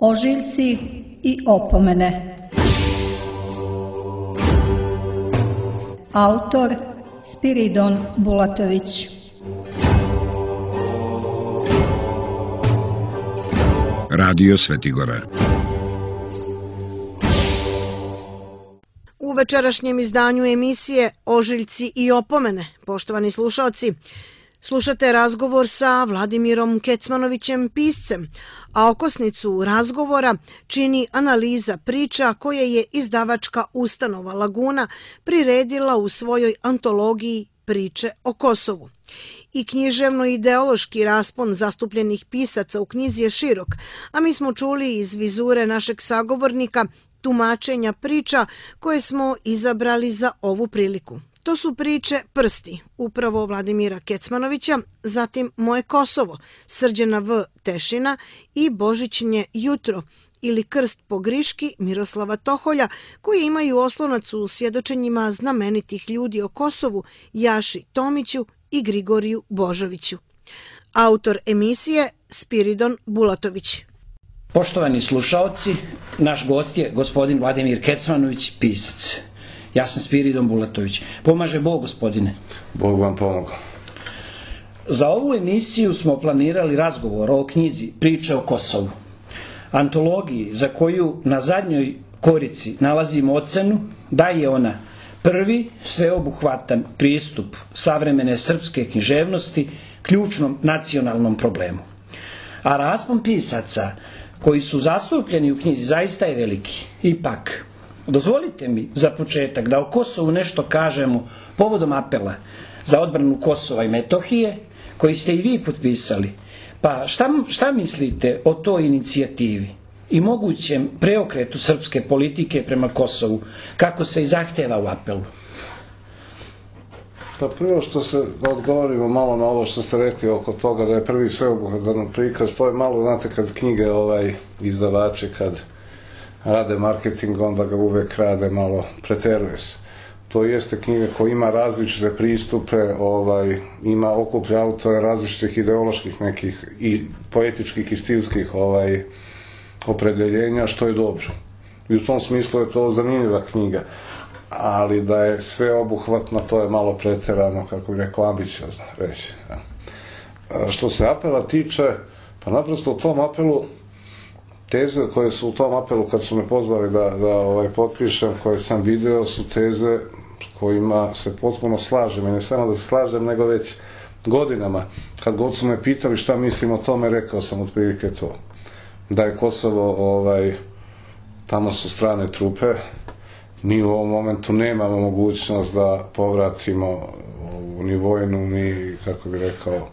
Ožiljci i opomene. Autor Spiridon Bulatović. Radio Svetigora. U večerašnjem izdanju emisije Ožiljci i opomene, poštovani slušaoci, slušate razgovor sa Vladimirom Kecmanovićem, piscem, a okosnicu razgovora čini analiza priča koje je izdavačka ustanova Laguna priredila u svojoj antologiji Priče o Kosovu. I književno-ideološki raspon zastupljenih pisaca u knjizi je širok, a mi smo čuli iz vizure našeg sagovornika tumačenja priča koje smo izabrali za ovu priliku. To su priče Prsti, upravo Vladimira Kecmanovića, zatim Moje Kosovo, Srđana V. Tešina i Božićnje jutro ili Krst po Griški Miroslava Toholja, koji imaju oslonac u svjedočenjima znamenitih ljudi o Kosovu Jaši Tomiću i Grigoriju Božoviću. Autor emisije Spiridon Bulatović. Poštovani slušaoci, naš gost je gospodin Vladimir Kecmanović, pisac. Ja sam Spiridon Bulatović. Pomaže Bog, gospodine. Bog vam pomogao. Za ovu emisiju smo planirali razgovor o knjizi Priče o Kosovu, antologiji za koju na zadnjoj korici nalazimo ocenu da je ona prvi sveobuhvatan pristup savremene srpske književnosti ključnom nacionalnom problemu. A raspon pisaca koji su zastupljeni u knjizi zaista je veliki. Ipak, dozvolite mi za početak da o Kosovu nešto kažemo povodom apela za odbranu Kosova i Metohije, koji ste i vi potpisali. Pa šta mislite o toj inicijativi i mogućem preokretu srpske politike prema Kosovu, kako se i zahteva u apelu? Pa prvo što se odgovorimo malo na ovo što ste rekli oko toga da je prvi sveobuhvatan prikaz, to je malo, znate, kad knjige izdavači kad rade marketing, onda ga uvek rade malo, preteruje se. To jeste knjiga koja ima različite pristupe, ima okuplja autore različitih ideoloških nekih i poetičkih i stilskih opredeljenja, što je dobro. I u tom smislu je to zanimljiva knjiga, ali da je sve obuhvatno, to je malo preterano, kako bih rekao, ambiciozno reći. Što se apela tiče, pa naprosto u tom apelu teze koje su u tom apelu, kad su me pozvali da potpišem, koje sam video, su teze kojima se potpuno slažem. I ne samo da se slažem, nego već godinama. Kad god su me pitali šta mislim o tome, rekao sam otprilike to. Da je Kosovo, tamo su strane trupe, mi u ovom momentu nemamo mogućnost da povratimo ni vojnu, ni, kako bih rekao,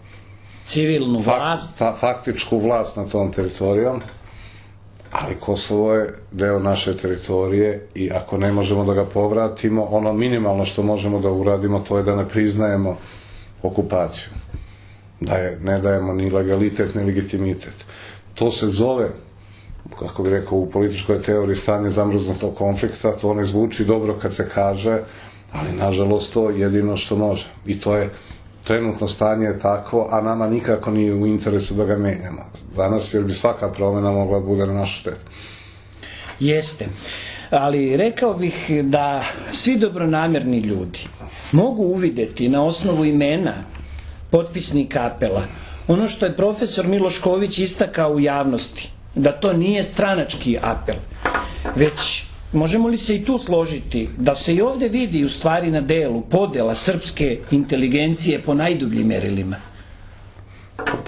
civilnu vlast, faktičku vlast na tom teritorijom. Ali Kosovo je deo naše teritorije i ako ne možemo da ga povratimo, ono minimalno što možemo da uradimo, to je da ne priznajemo okupaciju. Ne dajemo ni legalitet, ni legitimitet. To se zove, kako bih rekao, u političkoj teoriji stanje zamrznutog konflikta. To ne zvuči dobro kad se kaže, ali nažalost to je jedino što može. I to je trenutno stanje je takvo, a nama nikako nije u interesu da ga menjamo danas, jer bi svaka promjena mogla da bude na našu štetu. Jeste, ali rekao bih da svi dobronamjerni ljudi mogu uvideti na osnovu imena potpisnika apela ono što je profesor Miloš Ković istakao u javnosti, da to nije stranački apel, već možemo li se i tu složiti da se i ovdje vidi u stvari na delu podjela srpske inteligencije po najdubljim merilima?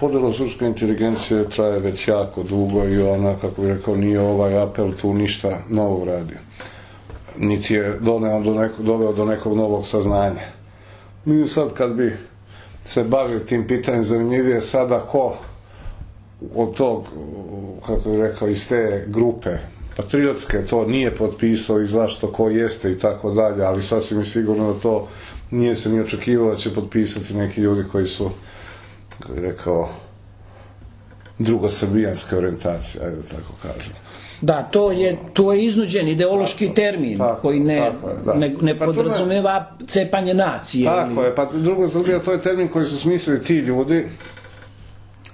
Podjela srpske inteligencije traje već jako dugo i ona, kako bih rekao, nije ovaj apel tu ništa novo uradio. Niti je doveo do nekog novog saznanja. Mi sad kad bi se bavili tim pitanjem, zanimljivije sada ko od tog, kako bih rekao, iz te grupe patriotske to nije potpisao i zašto, ko jeste i tako dalje, ali sasvim je sigurno da to nije se ni očekivalo da će potpisati neki ljudi koji su, kako bih rekao, drugosrbijanske orijentacije, ajde da tako kažem. Da, to je iznuđen ideološki termin koji ne podrazumeva cepanje nacije. Tako je, pa Drugosrbija, to je termin koji su smislili ti ljudi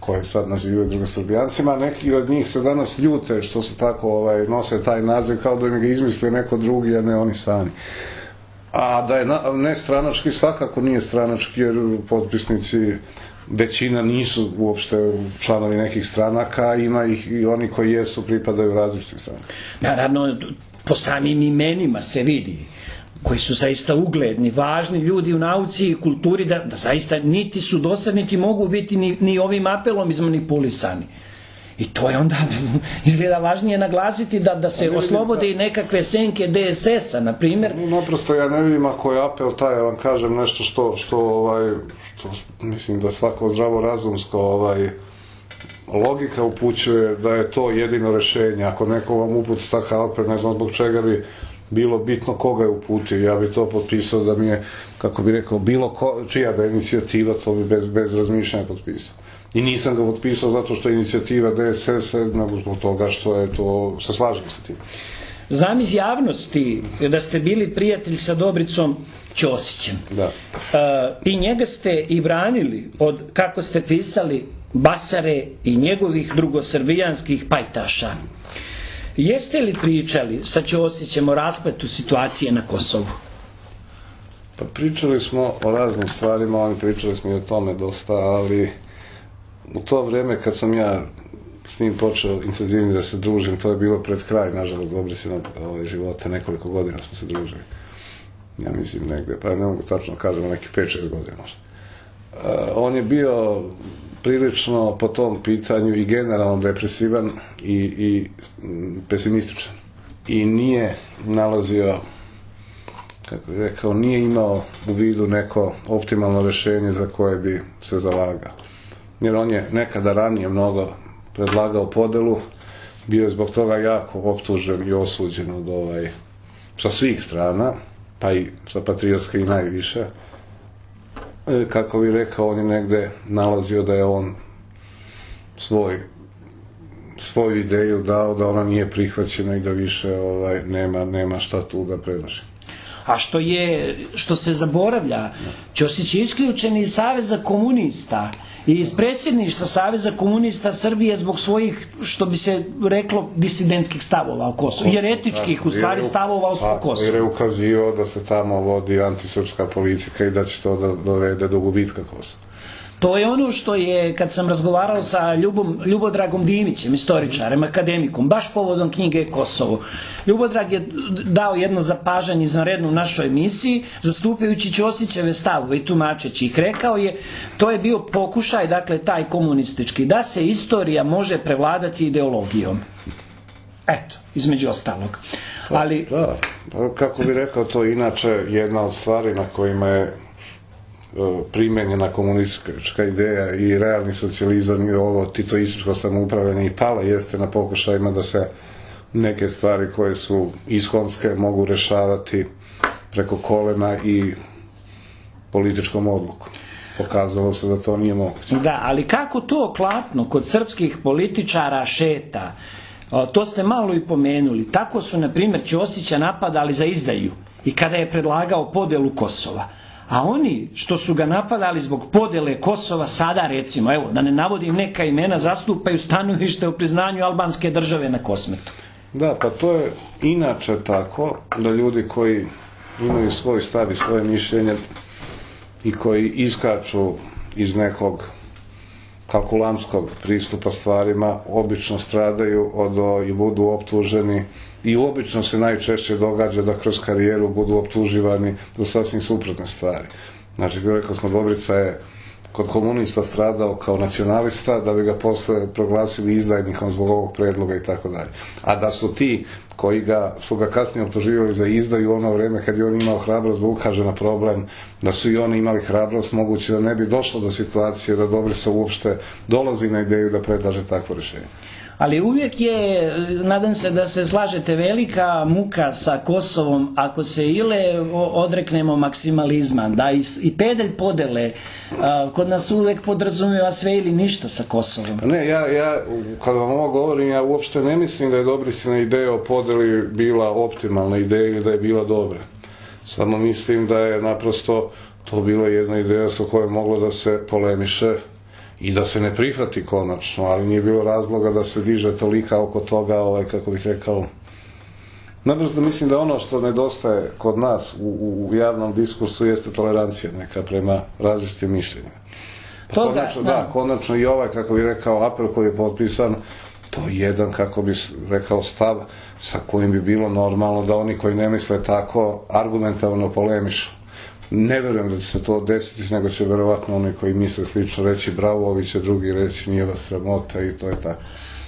koje sad nazivaju drugosrbijancima, a neki od njih se danas ljute što se tako nose taj naziv kao da im ga izmislio neko drugi, a ne oni sami. A da je nestranački, svakako nije stranački, jer potpisnici većina nisu uopšte članovi nekih stranaka, ima ih i oni koji jesu pripadaju različitim stranaka. Naravno, po samim imenima se vidi, koji su zaista ugledni, važni ljudi u nauci i kulturi, da zaista niti su dosadni, niti mogu biti ni ovim apelom izmanipulisani. I to je onda izgleda važnije naglasiti da se oslobode i nekakve senke DSS-a, na primjer. Naprosto ja ne vidim ako je apel taj, ja vam kažem nešto što mislim da svako zdravorazumsko logika upućuje da je to jedino rešenje. Ako neko vam uputi takav apel, ne znam zbog čega bi bilo bitno koga je uputio. Ja bi to potpisao da mi je, kako bi rekao, čija da je inicijativa, to bi bez razmišljanja potpisao. I nisam ga potpisao zato što je inicijativa DSS, nego zbog toga što je to, se slažem sa tim. Znam iz javnosti da ste bili prijatelj sa Dobricom Ćosićem. Da. I njega ste i branili od, kako ste pisali, Basare i njegovih drugosrbijanskih pajtaša. Jeste li pričali sa Ćosićem o raspletu situacije na Kosovu? Pa pričali smo o raznim stvarima, pričali smo i o tome dosta, ali u to vrijeme kad sam ja s njim počeo intenzivnije da se družim, to je bilo pred kraj, nažalost, Dobricinog života, nekoliko godina smo se družili. Ja mislim negde, pa ne mogu tačno kažemo, neki 5-6 godina možda. On je bio prilično po tom pitanju i generalno depresivan i pesimističan. I nije nalazio, kako bih rekao, nije imao u vidu neko optimalno rješenje za koje bi se zalagao. Jer on je nekada ranije mnogo predlagao podelu, bio je zbog toga jako optužen i osuđen sa svih strana, pa i sa patriotske i najviše. Kako bih rekao, on je negde nalazio da je on svoju ideju dao, da ona nije prihvaćena i da više nema šta tu da predloži. A što se zaboravlja, Ćosić je isključen iz Saveza komunista i iz predsjedništva Saveza komunista Srbije zbog svojih, što bi se reklo, disidentskih stavova o Kosovu, jer etičkih u stvari stavova o Kosovu. Jer je ukazio da se tamo vodi antisrpska politika i da će to da dovede do gubitka Kosova. To je ono što je, kad sam razgovarao sa Ljubodragom Dimićem, istoričarem, akademikom, baš povodom knjige Kosovo. Ljubodrag je dao jedno zapažanje izvanredno u našoj emisiji, zastupajući Ćosićeve stavove i tumačeći ih. Rekao je, to je bio pokušaj, dakle, taj komunistički, da se istorija može prevladati ideologijom. Eto, između ostalog. Ali... Da, kako bi rekao, to je inače jedna od stvari na kojima je primenjena komunistička ideja i realni socijalizam i ovo titoističko samoupravljanje i pala jeste na pokušajima da se neke stvari koje su iskonske mogu rešavati preko kolena i političkom odlukom. Pokazalo se da to nije moguće. Da, ali kako to klapno kod srpskih političara šeta? To ste malo i pomenuli. Tako su, na primjer, Ćosića napadali za izdaju i kada je predlagao podelu Kosova. A oni što su ga napadali zbog podele Kosova sada, recimo, evo, da ne navodim neka imena, zastupaju stanovište o priznanju albanske države na Kosmetu. Da, pa to je inače tako da ljudi koji imaju svoj stav i svoje mišljenje i koji iskaču iz nekog kalkulantskog pristupa stvarima obično stradaju i budu optuženi i obično se najčešće događa da kroz karijeru budu optuživani za sasvim suprotne stvari. Znači, rekao smo, Dobrica je kod komunista stradao kao nacionalista, da bi ga posle proglasili izdajnikom zbog ovog predloga i tako dalje. A da su ti koji su ga kasnije optuživali za izdaju u ono vreme kad je on imao hrabrost da ukaže na problem, da su i oni imali hrabrost, moguće da ne bi došlo do situacije da Dobrica uopšte dolazi na ideju da predlaže takvo rješenje. Ali uvijek je, nadam se da se slažete, velika muka sa Kosovom ako se odreknemo maksimalizma, da i pedalj podele kod nas uvijek podrazumijeva sve ili ništa sa Kosovom. Ne, ja kad vam ovo govorim, ja uopšte ne mislim da je Dobricina ideja o podeli bila optimalna ideja ili da je bila dobra. Samo mislim da je naprosto to bila jedna ideja sa kojom moglo da se polemiše i da se ne prihvati konačno, ali nije bilo razloga da se diže tolika oko toga, kako bih rekao, naprosto mislim da ono što nedostaje kod nas u javnom diskursu jeste tolerancija neka prema različitim mišljenjima. Konačno i kako bih rekao, apel koji je potpisan, to je jedan, kako bih rekao, stav sa kojim bi bilo normalno da oni koji ne misle tako argumentalno polemišu. Ne verujem da će se to desiti, nego će verovatno oni koji misle slično reći bravo, ovi će drugi reći nije vas sramota i to je tako.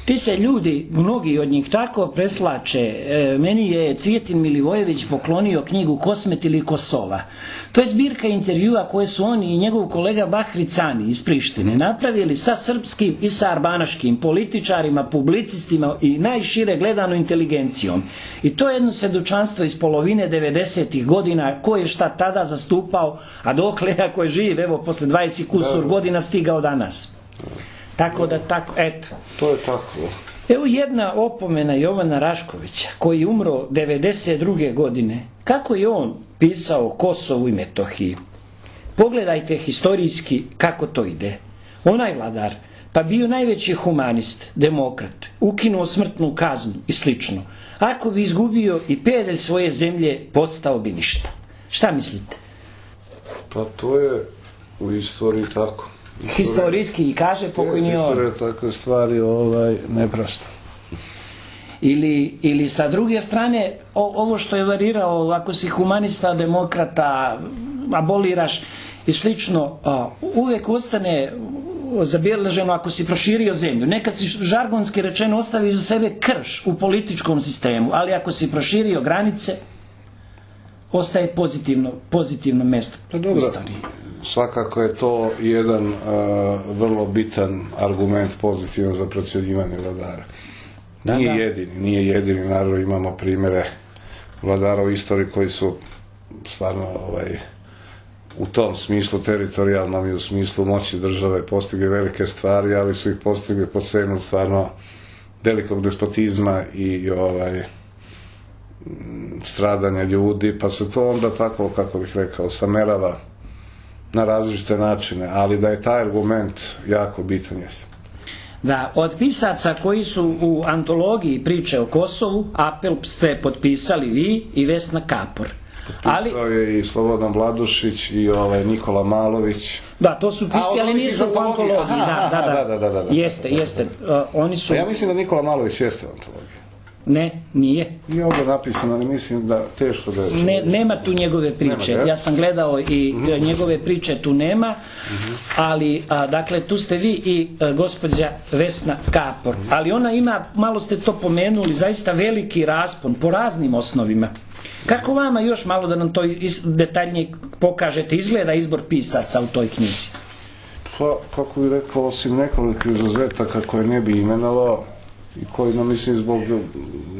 Ti se ljudi, mnogi od njih tako preslače. Meni je Cvijetin Milivojević poklonio knjigu Kosmet ili Kosova. To je zbirka intervjua koje su oni i njegov kolega Bahri Cani iz Prištine napravili sa srpskim i sa arbanaškim političarima, publicistima i najšire gledano inteligencijom. I to je jedno svjedočanstvo iz polovine 90-ih godina ko je šta tada zastupao, a dokle ako je živ, evo posle 20 kusur godina stigao danas. Tako da, eto. To je tako. Evo jedna opomena Jovana Raškovića, koji je umro 92. godine. Kako je on pisao o Kosovu i Metohiji? Pogledajte historijski kako to ide. Onaj vladar, pa bio najveći humanist, demokrat, ukinuo smrtnu kaznu i slično. Ako bi izgubio i pedalj svoje zemlje, postao bi ništa. Šta mislite? Pa to je u istoriji tako. Historijski i kaže pokojni on. Istorija takve stvari ne prašta. Ili sa druge strane, ovo što je varirao, ako si humanista, demokrata, aboliraš i slično, uvek ostane zabeleženo ako si proširio zemlju. Nekad si žargonski rečeno ostavi za sebe krš u političkom sistemu, ali ako si proširio granice, ostaje pozitivno mesto u istoriji. Svakako je to jedan vrlo bitan argument pozitivan za procjenjivanje vladara. Nije jedini, naravno imamo primjere vladara u istoriji koji su stvarno u tom smislu teritorijalnom i u smislu moći države postigli velike stvari, ali su ih postigli po cenu stvarno velikog despotizma i stradanja ljudi, pa se to onda tako, kako bih rekao, samerava na različite načine, ali da je taj argument jako bitan jeste. Da, od pisaca koji su u antologiji priče o Kosovu, apel ste potpisali vi i Vesna Kapor. Potpisao je i Slobodan Vladušić i Nikola Malović. Da, to su pisali, ali nisu u antologiji. Da. Jeste. Oni su... Ja mislim da Nikola Malović jeste u antologiji. Ne, nije. Nije ovdje napisano, ali mislim da teško da je... Nema tu njegove priče. Ja sam gledao i njegove priče tu nema, ali, dakle, tu ste vi i gospođa Vesna Kapor. Ali ona ima, malo ste to pomenuli, zaista veliki raspon po raznim osnovima. Kako vama još malo da nam to detaljnije pokažete, izgleda izbor pisaca u toj knjizi? Pa, kako bih rekao, osim nekoliko izuzetaka koje ne bi imenovao, i koji, mislim, zbog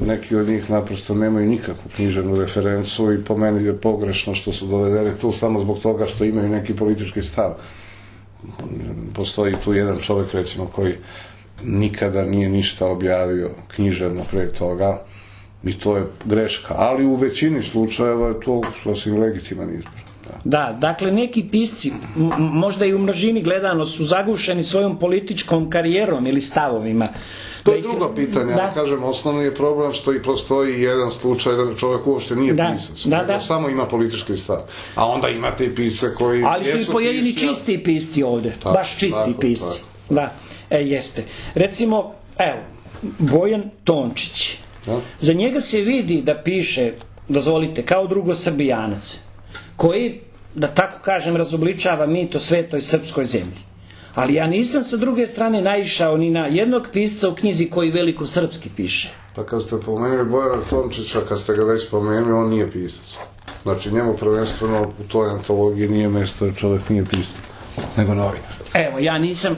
neki od njih naprosto nemaju nikakvu književnu referencu i po meni je pogrešno što su dovedeni tu samo zbog toga što imaju neki politički stav. Postoji tu jedan čovjek, recimo, koji nikada nije ništa objavio književno pre toga i to je greška, ali u većini slučajeva je to sasvim legitiman izbor. Da, dakle neki pisci, možda i u množini gledano, su zagušeni svojom političkom karijerom ili stavovima. To je drugo pitanje, ali kažem, osnovni je problem što i postoji jedan slučaj da čovjek uopšte nije pisac, samo ima politički stav. A onda imate i pisce koji... Ali su i pojedini čisti pisci ovdje, baš čisti pisci. Da, jeste. Recimo, evo, Bojan Tončić. Za njega se vidi da piše, dozvolite, kao drugosrbijanac, koji, da tako kažem, razobličava mit o svetoj srpskoj zemlji. Ali ja nisam sa druge strane naišao ni na jednog pisca u knjizi koji veliko srpski piše. Pa kad ste pomenuli Bojana Tončića, kad ste ga već pomenuli, on nije pisac. Znači njemu prvenstveno u toj antologiji nije mjesto jer čovjek nije pisac, nego novinar. Evo, ja nisam,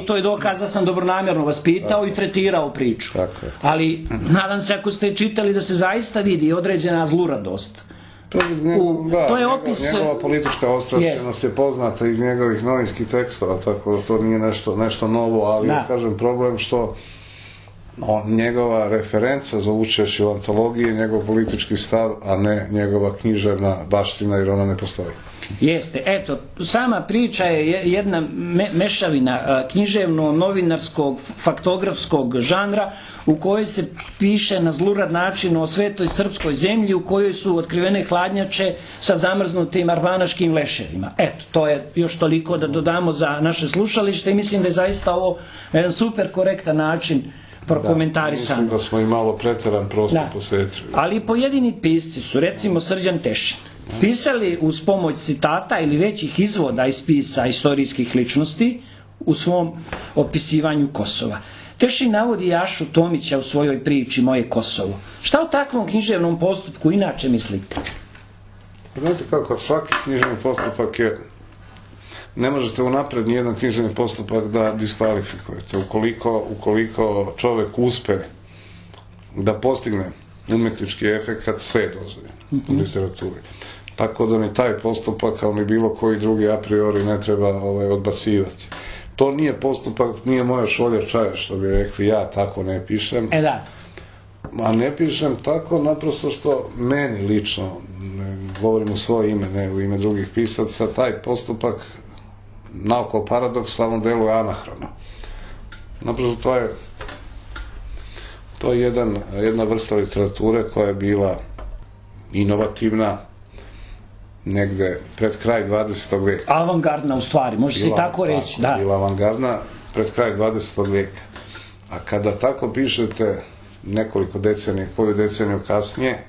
i to je dokaz da sam dobronamjerno vas pitao i tretirao priču. Ali nadam se ako ste čitali da se zaista vidi određena zluradost. To je opis... Njegova politička ostrašćenost je poznata iz njegovih novinskih tekstova, tako da to nije nešto novo, ali ja kažem problem što njegova referenca za učešće u antologiji je njegov politički stav, a ne njegova književna baština, jer ona ne postoji. Jeste, eto, sama priča je jedna mešavina književno-novinarskog, faktografskog žanra u kojoj se piše na zlurad način o svetoj srpskoj zemlji u kojoj su otkrivene hladnjače sa zamrznutim arvanaškim leševima. Eto, to je još toliko da dodamo za naše slušalište i mislim da je zaista ovo jedan super korektan način prokomentarisano. Mislim da smo i malo preteran prostor posvetili. Ali pojedini pisci su, recimo Srđan Tešin, pisali uz pomoć citata ili većih izvoda iz spisa istorijskih ličnosti u svom opisivanju Kosova. Tešin navodi Jašu Tomića u svojoj priči Moje Kosovo. Šta o takvom književnom postupku inače mislite? Znate kako, svaki književni postupak je, ne možete unapred nijedan književni postupak da diskvalifikujete. Ukoliko čovek uspe da postigne umetnički efekat, sve je dozvoljeno u literaturi. Tako da ni taj postupak, kao ni bilo koji drugi a priori ne treba odbacivati. To nije postupak, nije moja šolja čaja, što bi rekli, ja tako ne pišem. A ne pišem tako naprosto što meni lično, govorim u svoje ime, ne u ime drugih pisaca, taj postupak naoko paradoksalno deluje anahrono. Naprosto to je jedna vrsta literature koja je bila inovativna negde pred kraj 20. veka. Avangardna u stvari, može se i tako reći. Bila avangardna pred kraj 20. veka. A kada tako pišete nekoliko decenija, koju deceniju kasnije,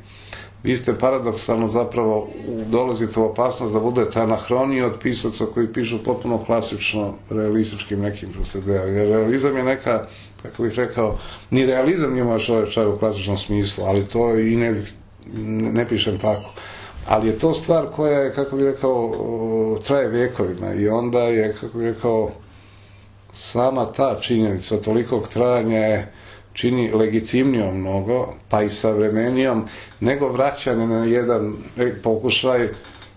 vi ste paradoksalno zapravo dolazite u opasnost da budete anahroniji od pisaca koji pišu potpuno klasično realističkim nekim procedijama. Jer realizam je neka, kako bih rekao, ni realizam nije moja čovječaj u klasičnom smislu, ali to i ne pišem tako. Ali je to stvar koja je, kako bih rekao, traje vekovima i onda je, kako bih rekao, sama ta činjenica tolikog trajanja je čini legitimnijom mnogo, pa i savremenijom, nego vraćanje na jedan pokušaj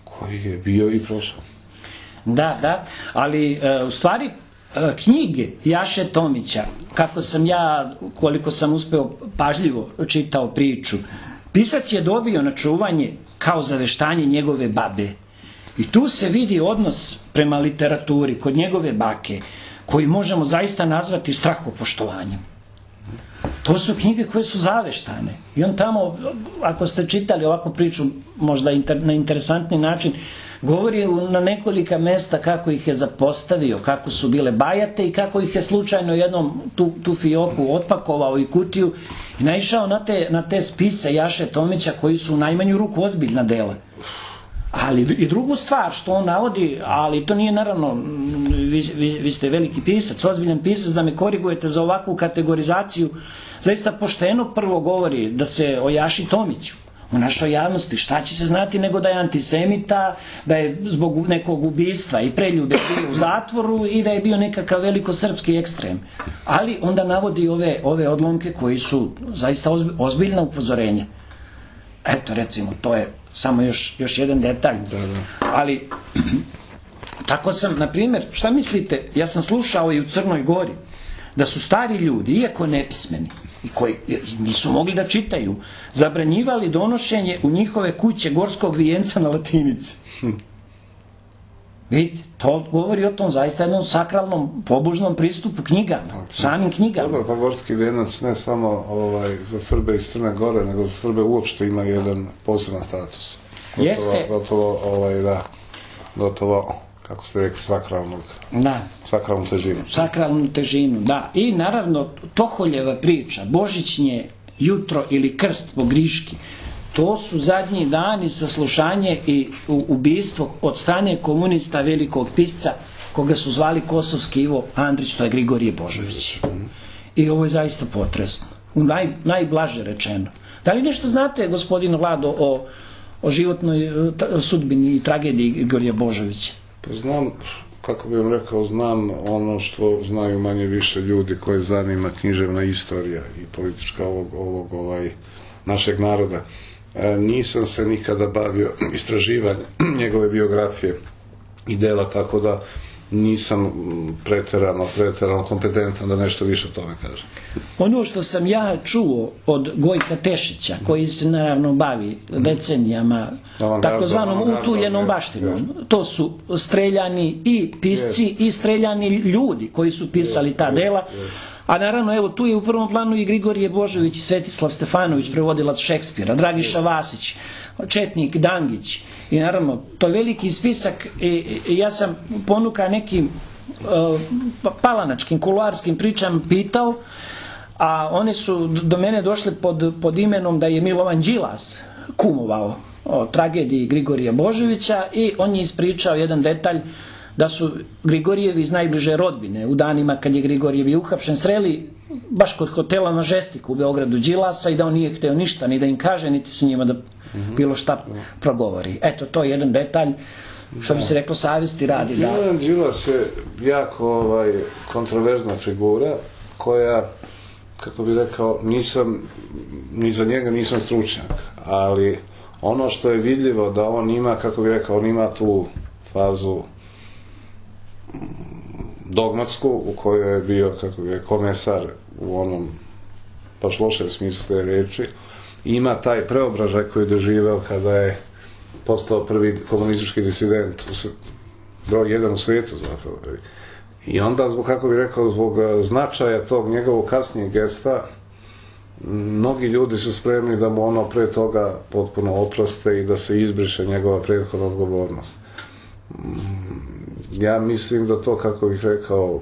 koji je bio i prošao. Da, ali u stvari knjige Jaše Tomića, kako sam ja, koliko sam uspeo pažljivo čitao priču, pisac je dobio na čuvanje kao zaveštanje njegove babe. I tu se vidi odnos prema literaturi kod njegove bake, koji možemo zaista nazvati strahopoštovanjem. To su knjige koje su zaveštane. I on tamo, ako ste čitali ovakvu priču, možda na interesantni način, govori na nekolika mesta kako ih je zapostavio, kako su bile bajate i kako ih je slučajno jednom tu fioku otpakovao i kutiju i naišao na te spise Jaše Tomića koji su u najmanju ruku ozbiljna dela. Ali i drugu stvar što on navodi, ali to nije naravno, vi ste veliki pisac, ozbiljan pisac, da me korigujete za ovakvu kategorizaciju, zaista pošteno prvo govori da se o Jaši Tomiću u našoj javnosti, šta će se znati nego da je antisemita, da je zbog nekog ubistva i preljube bio u zatvoru i da je bio nekakav velikosrpski ekstrem. Ali onda navodi ove odlomke koji su zaista ozbiljna upozorenja. Eto, recimo, to je samo još jedan detalj. Ali, tako sam, na primjer, šta mislite, ja sam slušao i u Crnoj Gori, da su stari ljudi, iako nepismeni, i koji nisu mogli da čitaju, zabranjivali donošenje u njihove kuće gorskog vijenca na latinici. Vidite, to govori o tom zaista jednom sakralnom, pobožnom pristupu knjigama, samim knjigama. Dobro, pa gorski vijenac ne samo za Srbe iz Crne Gore, nego za Srbe uopšte ima jedan poseban status. Gotovo, kako ste rekli, sakralnu težinu. Sakralnu težinu, da. I naravno, Toholjeva priča, Božićnje jutro ili krst po Griški, to su zadnji dani saslušanje i ubistvo od strane komunista velikog pisca koga su zvali Kosovski Ivo Andrić, to je Grigorije Božović. I ovo je zaista potresno. Najblaže rečeno. Da li nešto znate, gospodine Vlado, o životnoj sudbini i tragediji Grigorija Božovića? Pa znam, kako bih vam rekao, znam ono što znaju manje više ljudi koje zanima književna istorija i politička ovog našeg naroda. Nisam se nikada bavio istraživanjem njegove biografije i dela, tako da nisam preterano kompetentan da nešto više o tome kažem. Ono što sam ja čuo od Gojka Tešića, koji se naravno bavi decenijama takozvanom utuljenom baštinom, to su streljani i pisci i streljani ljudi koji su pisali ta dela. A naravno, evo, tu je u prvom planu i Grigorije Božović i Svetislav Stefanović, prevodilac Šekspira, Dragiša Vasić, Četnik Dangić. I naravno, to je veliki spisak i ja sam ponuka nekim palanačkim, kuluarskim pričama pitao, a one su do mene došle pod imenom da je Milovan Đilas kumovao o tragediji Grigorija Božovića i on je ispričao jedan detalj da su Grigorijevi iz najbliže rodbine u danima kad je Grigorijevi uhapšen sreli baš kod hotela Majestic u Beogradu Đilasa i da on nije hteo ništa ni da im kaže niti se njima da bilo šta progovori. Eto, to je jedan detalj što bi se reklo savjesti radi. Milovan Đilas je jako kontroverzna figura koja, kako bi rekao, ni za njega nisam stručnjak, ali ono što je vidljivo da on ima, kako bi rekao, on ima tu fazu dogmatsku u kojoj je bio, kako je, komesar u onom baš lošem smislu te reči. Ima taj preobražaj koji je doživeo kada je postao prvi komunistički disident, broj 1 u svijetu zapravo. I onda, kako bi rekao, zbog značaja tog njegovog kasnijeg gesta, mnogi ljudi su spremni da mu ono pre toga potpuno oproste i da se izbriše njegova prethodna odgovornost. Ja mislim da to, kako bih rekao,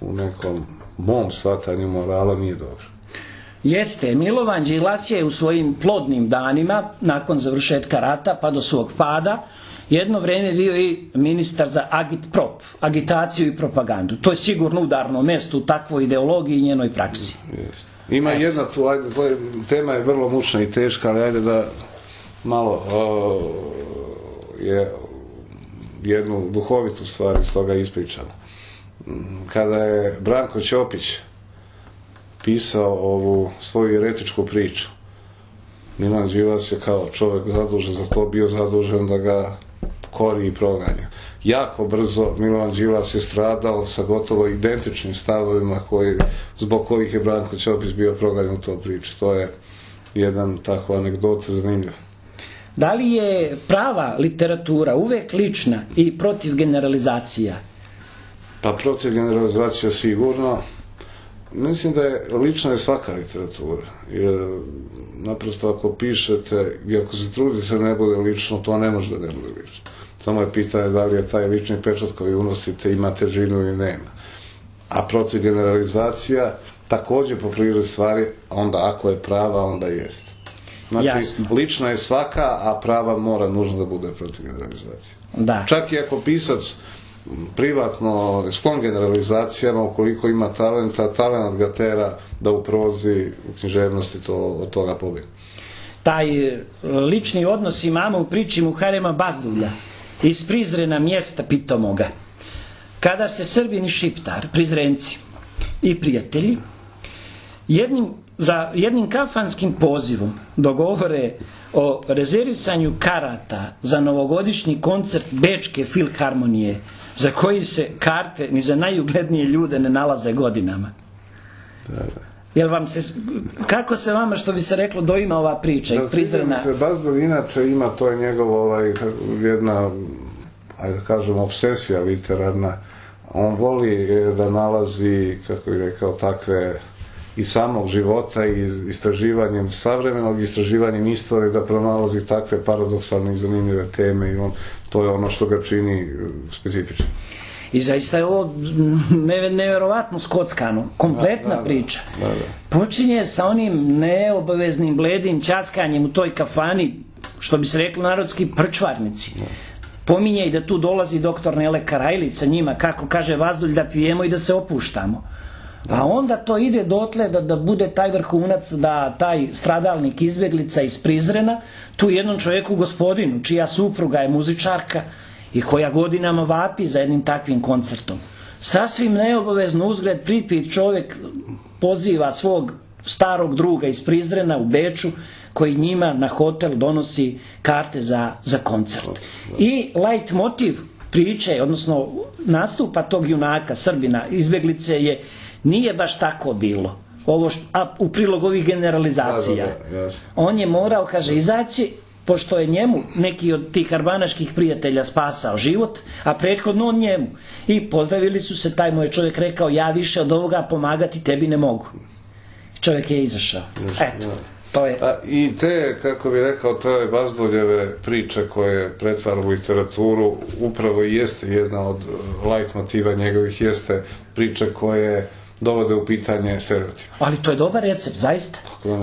u nekom mom shvatanju morala nije dobro. Jeste, Milovan Đilas je u svojim plodnim danima, nakon završetka rata pa do svog pada, jedno vreme bio i ministar za agitprop, agitaciju i propagandu. To je sigurno udarno mesto u takvoj ideologiji i njenoj praksi. Ima jedna tu, tema je vrlo mučna i teška, ali ajde da malo je jednu duhovitu stvar iz toga ispričala. Kada je Branko Ćopić pisao ovu svoju eretičku priču, Milan Đilas je kao čovjek zadužen za to bio zadužen da ga kori i proganja. Jako brzo Milan Đilas je stradao sa gotovo identičnim stavovima zbog kojih je Branko Ćopić bio proganjan u toj priči. To je jedan takva anegdota zanimljiva. Da li je prava literatura uvek lična i protiv generalizacija? Pa protiv generalizacija sigurno. Mislim da je lična je svaka literatura. Jer naprosto ako pišete i ako se trudite ne bude lično, to ne može da ne bude lično. Samo je pitanje da li je taj lični pečat koji unosite ima težinu ili nema. A protiv generalizacija također po prirodi stvari, onda ako je prava, onda jeste. Znači, lična je svaka, a prava mora nužno da bude protiv generalizacije. Da. Čak i ako pisac privatno sklon generalizacijama, ukoliko ima talenta, talent ga tera da u prozi, u književnosti od toga pobjede. Taj lični odnos imamo u priči Muharema Bazdulja iz Prizrena mjesta pitomoga. Kada se Srbin i Šiptar, Prizrenci i prijatelji, za jednim kafanskim pozivom dogovore o rezervisanju karata za novogodišnji koncert Bečke filharmonije, za koji se karte ni za najuglednije ljude ne nalaze godinama. Jel vam se, kako se vama, što bi se reklo, doima ova priča iz Prizrena? Bazdulj inače ima, to je njegov jedna, ajde da kažem, obsesija literarna. On voli da nalazi, kako bih rekao, takve i samog života i istraživanjem savremenog, istraživanjem istorije, da pronalazi takve paradoksalne i zanimljive teme i to je ono što ga čini specifično. I zaista je ovo nevjerovatno skockano, kompletna priča. Počinje sa onim neobaveznim bledim ćaskanjem u toj kafani, što bi se reklo narodski prčvarnici. Pominje i da tu dolazi doktor Nele Karajlić sa njima, kako kaže Vazdulj, da pijemo i da se opuštamo. A onda to ide dotle da bude taj vrhunac, da taj stradalnik izbjeglica iz Prizrena, tu jednom čovjeku gospodinu, čija supruga je muzičarka i koja godinama vapi za jednim takvim koncertom. Sasvim neobavezno uzgled pripit čovjek poziva svog starog druga iz Prizrena u Beču, koji njima na hotel donosi karte za koncert. I light motiv priče, odnosno nastupa tog junaka, Srbina, izbjeglice nije baš tako bilo. A u prilog ovih generalizacija. On je morao, kaže, izaći, pošto je njemu neki od tih arbanaških prijatelja spasao život, a prethodno on njemu. I pozdravili su se, taj moj čovjek rekao, ja više od ovoga pomagati tebi ne mogu. Čovjek je izašao. Eto, to je. I te, kako bi rekao, te Bazduljeve priče koje pretvara u literaturu, upravo i jeste jedna od light motiva njegovih, jeste priče koje dovode u pitanje stereotip. Ali to je dobar recept, zaista.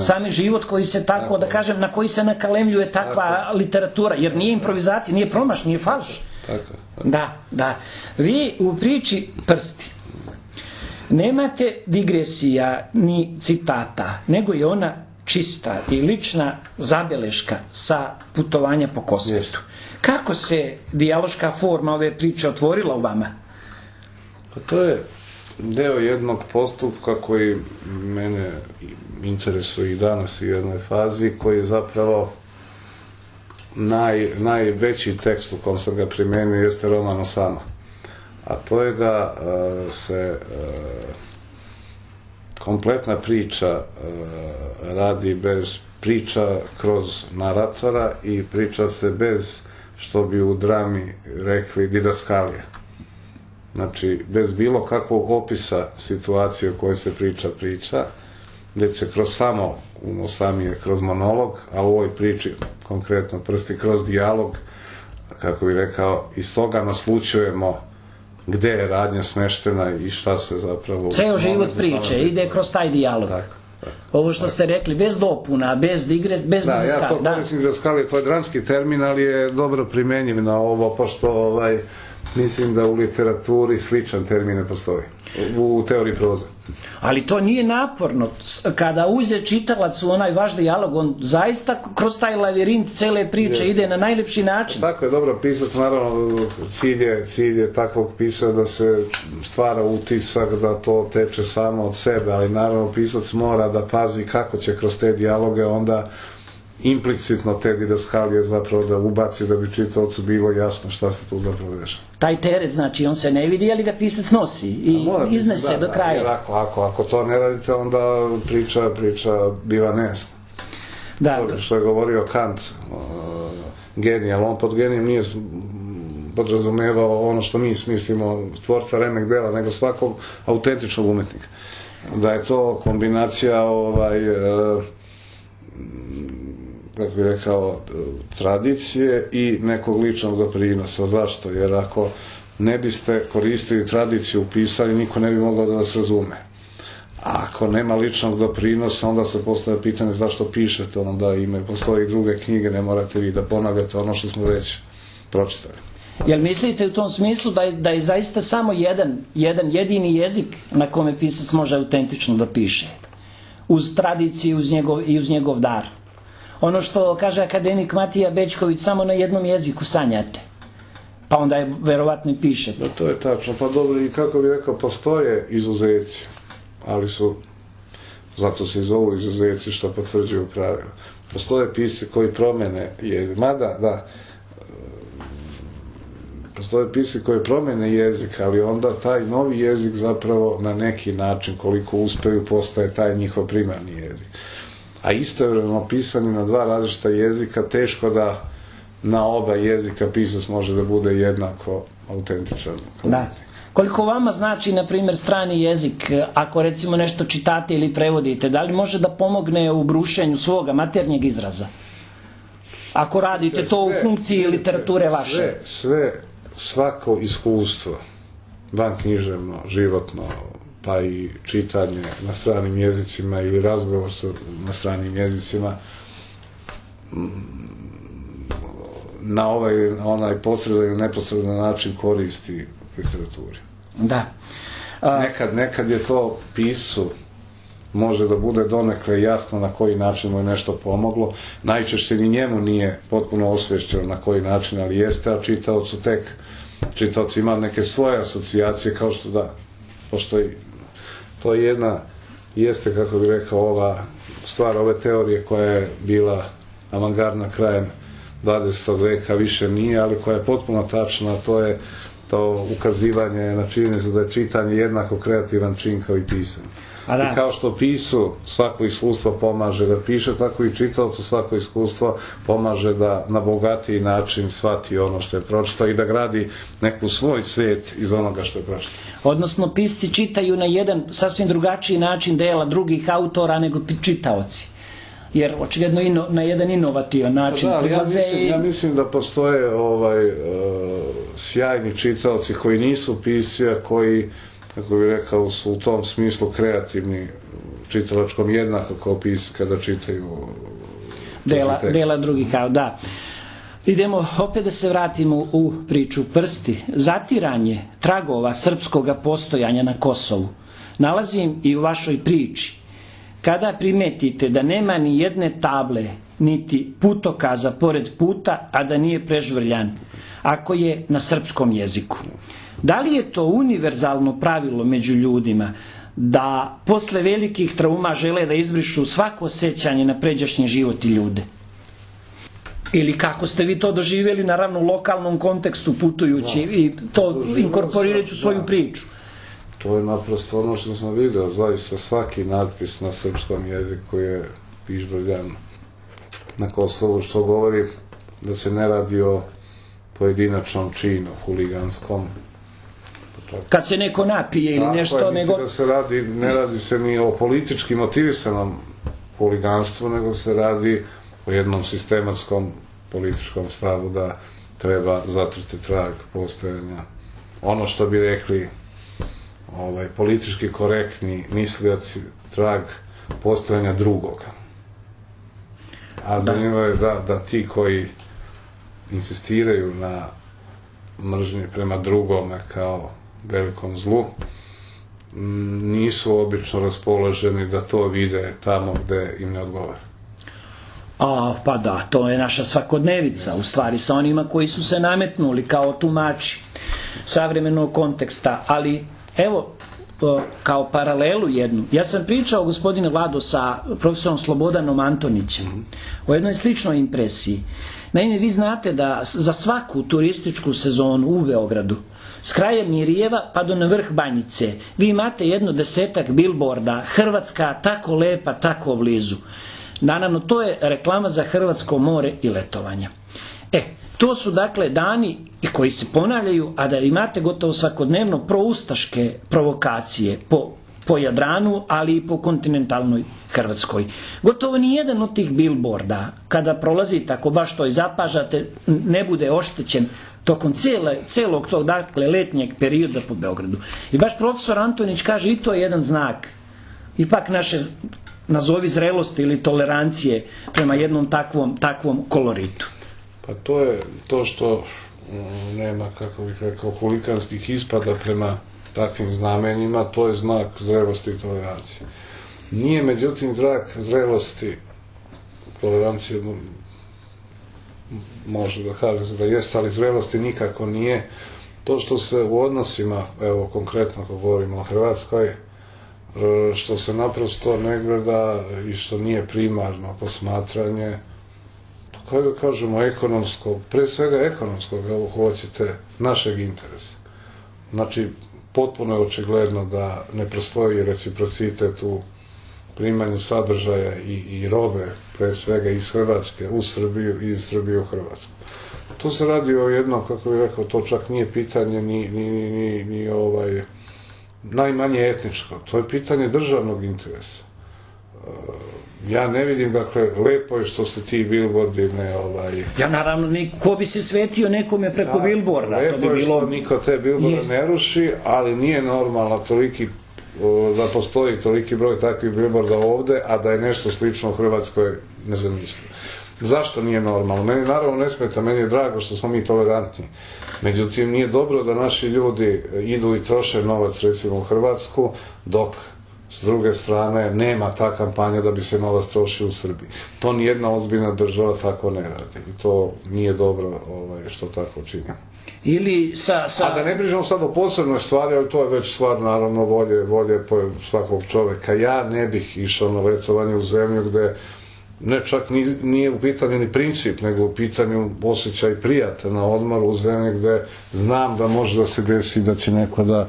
Sami život koji se tako, da kažem, na koji se nakalemljuje takva literatura, jer nije improvizacija, nije promaš, nije falš. Da. Vi u priči Prsti nemate digresija ni citata, nego je ona čista i lična zabeleška sa putovanja po Kosmetu. Kako se dijaloška forma ove priče otvorila u vama? Pa to je deo jednog postupka koji mene interesuje i danas u jednoj fazi, koji je zapravo najveći tekst u kom sam ga primenio jeste roman Osama. A to je da se kompletna priča radi bez priča kroz naratora i priča se bez, što bi u drami rekli, didaskalije. Znači, bez bilo kakvog opisa situacije o kojoj se priča, gdje se kroz samo, u Osami je kroz monolog, a u ovoj priči, konkretno Prsti, kroz dijalog, kako bi rekao, iz toga naslučujemo gde je radnja smeštena i šta se zapravo... Ceo život priče ide kroz taj dijalog. Ovo što ste rekli, bez dopuna, bez digre, bez da, ja to koristim za skali, to je dramski termin, ali je dobro primenjiv na ovo, pošto mislim da u literaturi sličan termin ne postoji, u teoriji proze. Ali to nije naporno. Kada uze čitalac u onaj vaš dijalog, on zaista kroz taj lavirint cele priče ide na najlepši način. Tako je, dobro, pisac, naravno, cilj je takvog pisa da se stvara utisak da to teče samo od sebe, ali naravno pisac mora da pazi kako će kroz te dijaloge onda implicitno te didaskalije zapravo da ubaci, da bi čitaocu bilo jasno šta se tu zapravo dešava. Taj teret, znači, on se ne vidi, ali ga pisac nosi i iznese do kraja. Ako to ne radite, onda priča biva nejasna. Što je govorio Kant, genij, ali on pod genijem nije podrazumevao ono što mi smislimo, tvorca remek dela, nego svakog autentičnog umetnika. Da je to kombinacija kako bih rekao, tradicije i nekog ličnog doprinosa. Zašto? Jer ako ne biste koristili tradiciju u pisanju, niko ne bi mogao da vas razume. A ako nema ličnog doprinosa, onda se postavlja pitanje zašto pišete, onda postoji druge knjige, ne morate vi da ponavljate ono što smo već pročitali. Jel mislite u tom smislu da je zaista samo jedan jedini jezik na kome pisac može autentično da piše? Uz tradiciju i uz njegov dar. Ono što kaže akademik Matija Bećković, samo na jednom jeziku sanjate. Pa onda je verovatno i pišete. Da, to je tačno. Pa dobro, i kako bih rekao, postoje izuzeci, ali su, zato se i zovu izuzeci što potvrđuju pravila. Postoje pisci koji promene jezik. Mada, da, postoje pisci koji promene jezik, ali onda taj novi jezik zapravo na neki način, koliko uspeju, postaje taj njihov primarni jezik. A istovremeno pisanje na dva različita jezika, teško da na oba jezika pisac može da bude jednako autentičan. Da. Koliko vama znači, na primjer, strani jezik, ako recimo nešto čitate ili prevodite, da li može da pomogne u brušenju svoga maternjeg izraza? Ako radite to u funkciji literature vaše? Svako iskustvo, vanknjiževno, životno, pa i čitanje na stranim jezicima ili razgovor na stranim jezicima na onaj posredan ili neposredan način koristi literaturi. Da. Nekad je to pisu može da bude donekle jasno na koji način mu je nešto pomoglo. Najčešće ni njemu nije potpuno osvješćeno na koji način, ali jeste, a čitaoc ima neke svoje asocijacije, kao što da, pošto to je jeste, kako bih rekao, ova stvar ove teorije koja je bila avangardna krajem 20. veka više nije, ali koja je potpuno tačna, to je to ukazivanje na činjenicu da je čitanje jednako kreativan čin kao i pisanje. I kao što pisu svako iskustvo pomaže da piše, tako i čitaocu svako iskustvo pomaže da na bogatiji način shvati ono što je pročitao i da gradi neku svoj svijet iz onoga što je pročitao. Odnosno, pisci čitaju na jedan sasvim drugačiji način dela drugih autora nego čitaoci. Jer očigledno na jedan inovativan način prilaze. Ja mislim da postoje sjajni čitaoci koji nisu pisci, a koji, kako bih rekao, su u tom smislu kreativni čitalačkom jednako kao pisci kada čitaju dela drugih, da. Idemo opet da se vratimo u priču Prsti. Zatiranje tragova srpskog postojanja na Kosovu nalazim i u vašoj priči. Kada primetite da nema ni jedne table, niti putokaza pored puta, a da nije prežvrljan, ako je na srpskom jeziku. Da li je to univerzalno pravilo među ljudima, da posle velikih trauma žele da izbrišu svako sećanje na pređašnji život i ljude? Ili kako ste vi to doživjeli, naravno u lokalnom kontekstu putujući i to inkorporirajući u svoju priču? To je naprosto ono što sam vidio, zaista svaki natpis na srpskom jeziku je pižvrljan na Kosovu, što govori da se ne radi o pojedinačnom činu, huliganskom. Kad se neko napije ili nešto, nego... Ne radi se ni o politički motivisanom huliganstvu, nego se radi o jednom sistematskom političkom stavu da treba zatrti trag postojanja. Ono što bi rekli politički korektni mislioci, trag postojanja drugoga. A zanimljivo je da ti koji insistiraju na mržnji prema drugome kao velikom zlu nisu obično raspoloženi da to vide tamo gde im ne odgovara. Pa da, to je naša svakodnevica, u stvari sa onima koji su se nametnuli kao tumači savremenog konteksta, ali evo, kao paralelu jednu, ja sam pričao, gospodine Vlado, sa profesorom Slobodanom Antonićem o jednoj sličnoj impresiji. Naime, vi znate da za svaku turističku sezonu u Beogradu, s kraja Mirjeva pa do na vrh Banjice, vi imate 10 bilborda, Hrvatska tako lepa, tako blizu. Naravno, to je reklama za hrvatsko more i letovanja. To su dakle dani koji se ponavljaju, a da imate gotovo svakodnevno proustaške provokacije po Jadranu, ali i po kontinentalnoj Hrvatskoj. Gotovo ni jedan od tih bilborda, kada prolazite, ako baš to i zapažate, ne bude oštećen tokom celog tog, dakle, letnjeg perioda po Beogradu. I baš profesor Antonić kaže, i to je jedan znak ipak naše, nazovi, zrelosti ili tolerancije prema jednom takvom koloritu. Pa to je to što nema, kako bih rekao, huliganskih ispada prema takvim znamenjima, to je znak zrelosti i tolerancije. Nije, međutim, znak zrelosti, tolerancije, može da kaže se da jeste, ali zrelosti nikako nije to što se u odnosima, evo konkretno ako govorimo o Hrvatskoj, što se naprosto ne gleda i što nije primarno posmatranje, kako da kažemo, ekonomsko, pre svega ekonomskog, ako hoćete, našeg interesa. Znači, potpuno je očigledno da ne postoji reciprocitet u primanju sadržaja i robe, pre svega iz Hrvatske u Srbiju i iz Srbije u Hrvatsku. To se radi o jednom, kako bih rekao, to čak nije pitanje ni najmanje etničko, to je pitanje državnog interesa. Ja ne vidim, dakle, lepo je što se ti bilbordi ne... Ja, naravno, ko bi se svetio nekome preko bilborda? Lepo je što niko te bilborde ne ruši, ali nije normalno da postoji toliki broj takvih bilborda ovde, a da je nešto slično u Hrvatskoj nezamislivo. Zašto nije normalno? Meni naravno ne smeta, meni je drago što smo mi tolerantni. Međutim, nije dobro da naši ljudi idu i troše novac, recimo, u Hrvatsku, dok s druge strane nema ta kampanja da bi se novac trošio u Srbiji. To nijedna ozbiljna država tako ne radi. I to nije dobro što tako čini. A da ne pričamo sad o posebnoj stvari, ali to je već stvar, naravno, volje svakog čoveka. Ja ne bih išao na letovanje u zemlju gde ne čak nije u pitanju ni princip, nego u pitanju osjećaj prijata na odmoru u zemlji gde znam da može da se desi da će neko da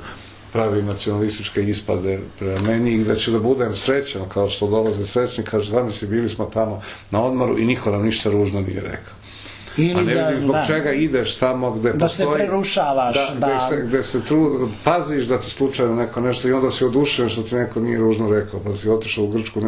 pravi nacionalističke ispade prema meni i da će da budem srećan kao što dolaze srećni, kaže zamisli bili smo tamo na odmoru i niko nam ništa ružno nije rekao. A ne vidim zbog čega ideš tamo gde da postoji... se prerušavaš. Gde se paziš da ti slučajno neko nešto i onda si odušen što ti neko nije ružno rekao, pa si otišao u Grčku,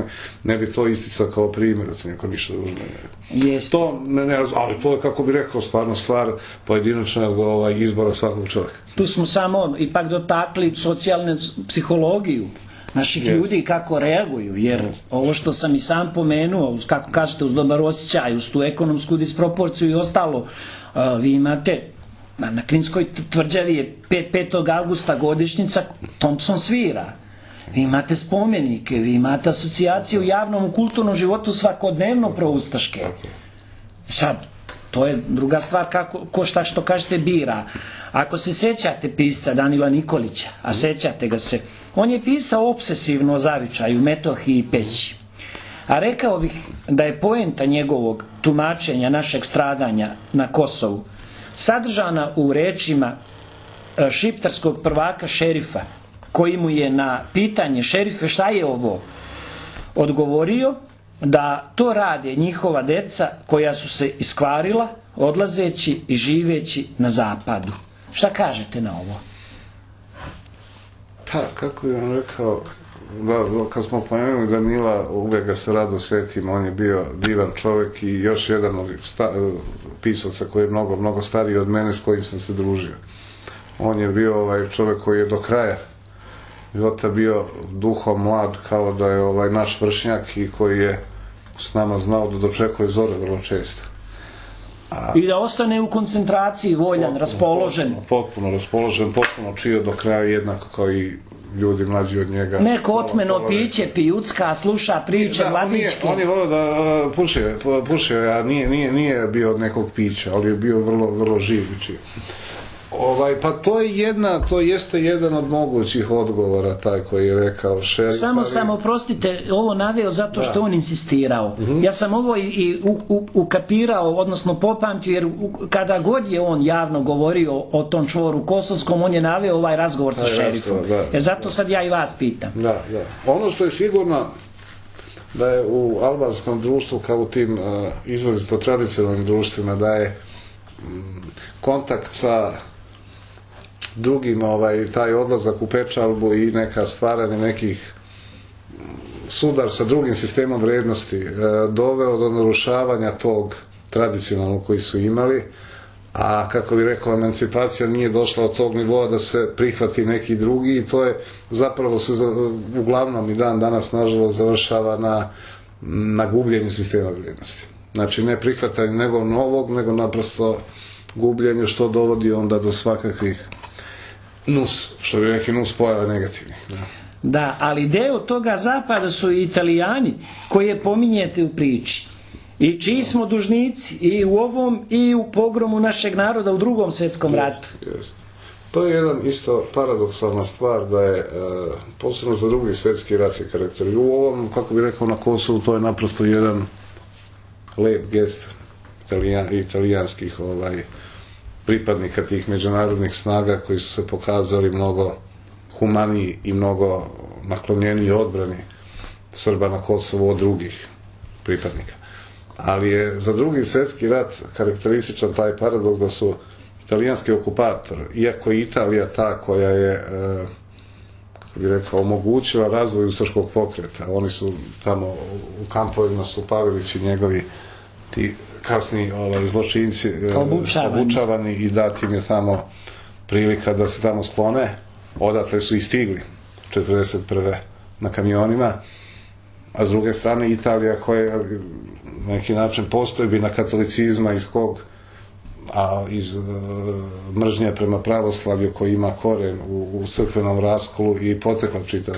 ne bi to isticao kao primjer da ti neko ništa ružno ne rekao. To ne razumije, ali to je, kako bi rekao, stvarno stvar pojedinačnog izbora svakog čovjeka. Tu smo samo ipak dotakli socijalnu psihologiju naših ljudi kako reaguju, jer ovo što sam i sam pomenuo, kako kažete, uz dobar osjećaj, uz tu ekonomsku disproporciju i ostalo, vi imate na Kninskoj tvrđavi je 5. augusta godišnjica, Thompson svira, vi imate spomenike, vi imate asocijaciju u javnom kulturnom životu svakodnevno proustaške. Sad, to je druga stvar ko šta što kažete bira. Ako se sećate pisca Danila Nikolića, a sećate ga se, on je pisao obsesivno o zavičaju, Metohiji i Peći. A rekao bih da je poenta njegovog tumačenja našeg stradanja na Kosovu sadržana u rečima šiptarskog prvaka šerifa, koji mu je na pitanje šerife šta je ovo odgovorio da to rade njihova deca koja su se iskvarila odlazeći i živeći na zapadu. Šta kažete na ovo? Pa, kako bih vam rekao, kad smo pomenuli Danila, uvijek ga se rado setim, on je bio divan čovjek i još jedan od pisaca koji je mnogo stariji od mene s kojim sam se družio. On je bio čovjek koji je do kraja života bio duhom mlad kao da je naš vršnjak i koji je s nama znao da dočekuje zore vrlo često. I da ostane u koncentraciji, voljan, raspoložen. Potpuno raspoložen, potpuno čio do kraja jednako kao i ljudi mlađi od njega. Neko otmeno piće, pijucka, sluša priče, mladičke. On je volio da pušio, a nije bio od nekog pića, ali je bio vrlo živ i čio. Pa to jeste jedan od mogućih odgovora, taj koji je rekao šerif. Samo oprostite, ovo naveo zato što on insistirao. Ja sam ovo i ukapirao, odnosno popamtio, jer kada god je on javno govorio o tom čvoru kosovskom, on je naveo ovaj razgovor sa šerifom. Jer zato sad ja i vas pitam. Da. Ono što je sigurno da je u albanskom društvu, kao u tim izrazito tradicionalnim društvima, da je kontakt sa drugim, taj odlazak u pečalbu i neka stvaranje nekih sudar sa drugim sistemom vrednosti doveo do narušavanja tog tradicionalnog koji su imali, a kako bi rekao, emancipacija nije došla od tog nivoa da se prihvati neki drugi i to je zapravo se uglavnom i dan danas nažalost završava na gubljenju sistema vrednosti. Znači ne prihvatanje nego novog, nego naprosto gubljenje, što dovodi onda do svakakvih što bi rekli nus pojava negativnih. Da, ali deo toga zapada su i Italijani koje pominjete u priči. I čiji smo dužnici i u ovom i u pogromu našeg naroda u Drugom svjetskom ratu. To je jedan isto paradoksalna stvar da je posebno za Drugi svjetski rat je karakter. I u ovom, kako bi rekao, na Kosovu to je naprosto jedan lep gest italijanskih pripadnika tih međunarodnih snaga koji su se pokazali mnogo humaniji i mnogo naklonjeniji odbrani Srba na Kosovu od drugih pripadnika. Ali je za Drugi svjetski rat karakterističan taj paradoks da su italijanski okupator, iako je Italija ta koja je, kako bi rekao, omogućila razvoj ustaškog pokreta, oni su tamo u kampovima su Pavelić i njegovi ti kasni zločinci obučavani i dati im je tamo prilika da se tamo sklone, odatle su i stigli 1941. na kamionima, a s druge strane Italija koja na neki način postojbina katolicizma iz mržnje prema pravoslavlju koji ima koren u crkvenom raskolu i potekla čitav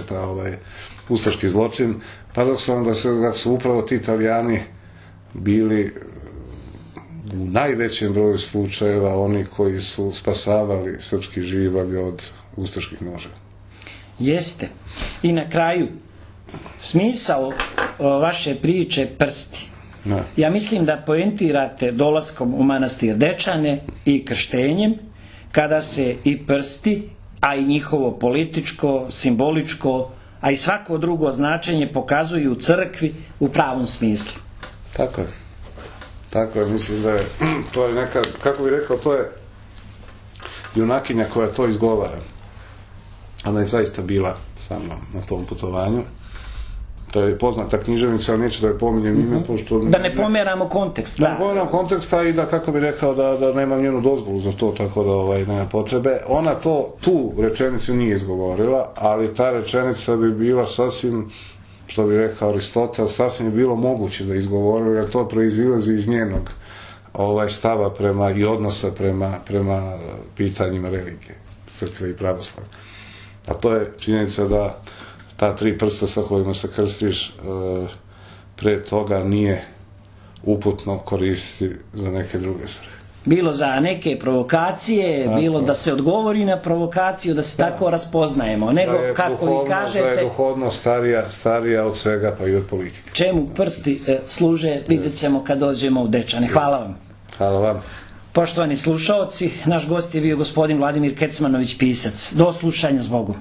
ustaški zločin, paradoksalno da su upravo ti Italijani bili u najvećem broju slučajeva oni koji su spasavali srpski živalj od ustaških noževa. Jeste. I na kraju, smisao vaše priče Prsti Ja mislim da poentirate dolaskom u manastir Dečane i krštenjem, kada se i prsti, a i njihovo političko, simboličko, a i svako drugo značenje pokazuju u crkvi u pravom smislu. Tako je. Tako je, mislim da je, to je neka, kako bih rekao, to je junakinja koja to izgovara. Ona je zaista bila sa mnom na tom putovanju. To je poznata književnica, ali neću da je pominjem ime, pošto... Da ne pomeramo kontekst. Da ne pomeramo konteksta i da, kako bih rekao, da nemam njenu dozvolu za to, tako da nema potrebe. Ona tu rečenicu nije izgovorila, ali ta rečenica bi bila sasvim, što bi rekao Aristotel, sasvim je bilo moguće da izgovorila, jer to proizilazi iz njenog stava prema i odnosa prema pitanjima religije, crkve i pravoslavlja. A to je činjenica da ta 3 prsta sa kojima se krstiš pre toga nije uputno koristiti za neke druge svrhe. Bilo za neke provokacije, tako, bilo da se odgovori na provokaciju, da se tako raspoznajemo, nego kako vi kažete... Da je duhovno starija od svega, pa i od politike. Čemu prsti služe, vidjet ćemo kad dođemo u Dečane. Hvala vam. Hvala vam. Poštovani slušaoci, naš gost je bio gospodin Vladimir Kecmanović, pisac. Do slušanja, zbogom.